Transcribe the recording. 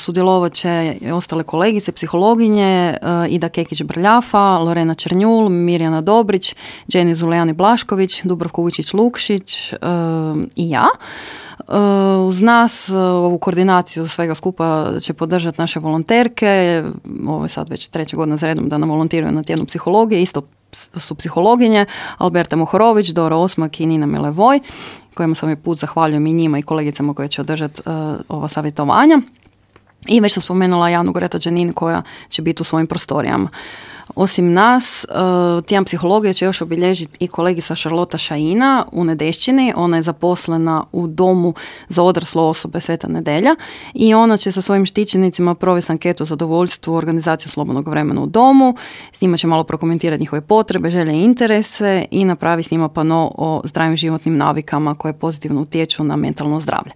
sudjelovat će i ostale kolegice, psihologinje, Ida Kekić-Brljafa, Lorena Černjul, Mirjana Dobrić, Jenny Zulejani Blašković, Dubravko Vučić-Lukšić i ja. Uz nas ovu koordinaciju svega skupa će podržati naše volonterke. Ovo je sad već 3. godina za redom da nam volontiraju na tjednu psihologije. Isto su psihologinje Alberta Mohorović, Dora Osmak i Nina Milevoj, kojima sam ovaj put zahvaljujem i njima i kolegicama koje će održati ova savjetovanja. I već sam spomenula Janu Greta Džanin koja će biti u svojim prostorijama. Osim nas, tjedan psihologije će još obilježiti i kolegica Šarlota Šajina u Nedešćini. Ona je zaposlena u domu za odrasle osobe Sveta Nedelja i ona će sa svojim štićenicima provesti anketu o zadovoljstvu organizaciju slobodnog vremena u domu. S njima će malo prokomentirati njihove potrebe, želje i interese i napravi s njima pano o zdravim životnim navikama koje pozitivno utječu na mentalno zdravlje.